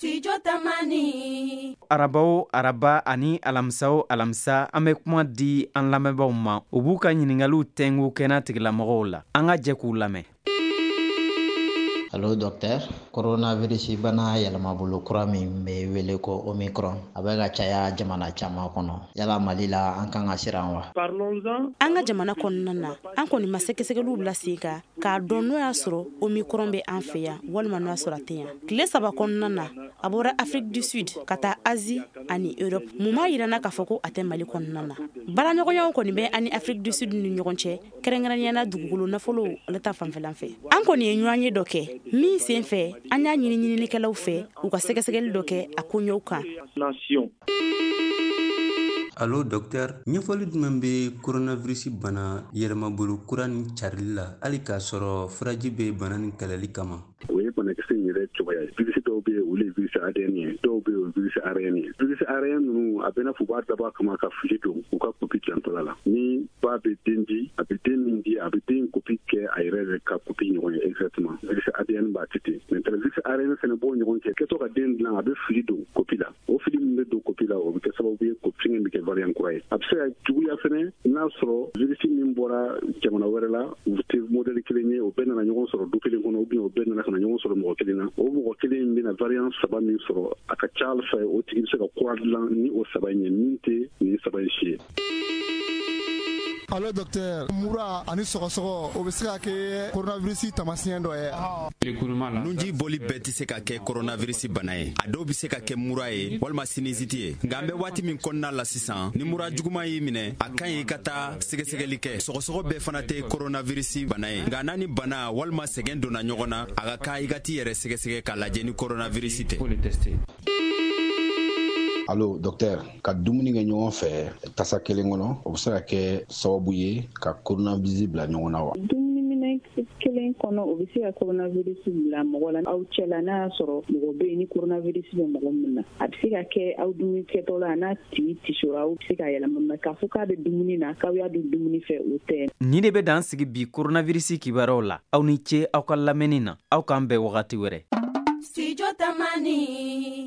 Studio Tamani. Araba o araba ani alamisa o alamisa, an bɛ kuma di an lamɛnbaaw ma, u b'u ka ɲiningaliw tɛngu kɛnɛ tigilamɔgɔw la. An ka jɛ k'u lamɛn. Allo docteur, coronavirus bana yɛlɛmabolo kura min bɛ wele ko Omicron, a bɛ ka caya jamana caman kɔnɔ. Yala Mali la, an kan ka siran wa? An ka jamana kɔnɔna na, an kɔni ma sɛgɛsɛgɛliw bila sen kan k'a dɔn n'o y'a sɔrɔ Omicron bɛ an fɛ yan walima n'o y'a sɔrɔ a tɛ yan. Tile 3 kɔnɔna na, a bɔra Afrique du Sud ka taa Asie ani Europe. Mun b'a yira n na k'a fɔ ko a tɛ Mali kɔnɔna na? Baaraɲɔgɔnyaw kɔni bɛ an ni Afrique du Sud ni ɲɔgɔn cɛ, kɛrɛnkɛrɛnnenya la dugukolo nafolo ale ta fanfɛlan fɛ. An kɔni ye ɲɔgɔn ye dɔ kɛ min sen fɛ, an y'a ɲini ɲininikɛlaw fɛ u ka sɛgɛsɛgɛli dɔ kɛ a koɲɛw kan. Allo docteur, ɲɛfɔli jumɛn bɛ coronavirus bana yɛlɛmabolo kura nin carili la, hali k'a sɔrɔ furaji bɛ bana nin kɛlɛli kama? O ye banakisɛ in yɛrɛ cogoya ye. Virus dɔw bɛ yen, olu ye virus ADN ye, dɔw bɛ yen, o ye virus ARN ye. Virus ARN ninnu, a bɛ n'a fɔ u b'a dabɔ a kama ka fili don u ka kopi dilantɔla la. Ni ba bɛ den di, a bɛ den min di, a bɛ den kopi kɛ a yɛrɛ yɛrɛ ka kopi ɲɔgɔn ye exactement. Virus ADN b'a kɛ ten. Maintenant virus ARN fana b'o ɲɔgɔn kɛ. Kɛtɔ ka den dilan, a bɛ fili don kopi la. O fili min bɛ don kopi la, o bɛ kɛ sababu ye ko fɛngɛ bɛ kɛ variant kura ye. A bɛ se ka juguya fana n'a sɔrɔ virus min bɔra jamana wɛrɛ la, u tɛ modèle kelen ye, o bɛɛ nana ɲɔgɔn sɔrɔ du kelen kɔnɔ, ou bien o bɛɛ nana ka na ɲɔgɔn sɔrɔ mɔgɔ kelen na. O mɔgɔ kelen in bɛna variant 3 min sɔrɔ, a ka ca ala fɛ o tigi bɛ se ka kura dilan ni o 3 in ye min tɛ nin 3 in si ye. Allo docteur, mura ani sɔgɔsɔgɔ, o bɛ se ka kɛ coronavirus taamasiyɛn dɔ ye. Nunji bɔli bɛɛ tɛ se ka kɛ coronavirus bana ye. A dɔw bɛ se ka kɛ mura ye walima sinusite ye. Nka an bɛ waati min kɔnɔna la sisan, ni mura juguman y'i minɛ, a ka ɲi i ka taa sɛgɛsɛgɛli kɛ. Sɔgɔsɔgɔ bɛɛ fana tɛ coronavirus bana ye. Nka n'a ni bana walima sɛgɛn donna ɲɔgɔn na, a ka kan i ka t'i yɛrɛ sɛgɛsɛgɛ k'a lajɛ ni coronavirus tɛ. Allo docteur, ka dumuni kɛ ɲɔgɔn fɛ tasa kelen kɔnɔ, o bɛ se ka kɛ sababu ye ka coronavirus bila ɲɔgɔn na wa? Dumuniminɛn kelen kɔnɔ, o bɛ se ka coronavirus bila mɔgɔ la aw cɛ la, n'a y'a sɔrɔ mɔgɔ bɛ yen ni coronavirus bɛ mɔgɔ min na. A bɛ se ka kɛ aw dumuni kɛtɔ la, n'a tigi tisora, aw bɛ se ka yɛlɛma, mais k'a fɔ k'a bɛ dumuni na, k'aw y'a dun dumuni fɛ, o tɛ. Nin de bɛ dan sigi bi coronavirus kibaruyaw la. Aw ni ce aw ka lamɛnni na. Aw k'an bɛn wagati wɛrɛ. Studio Tamani.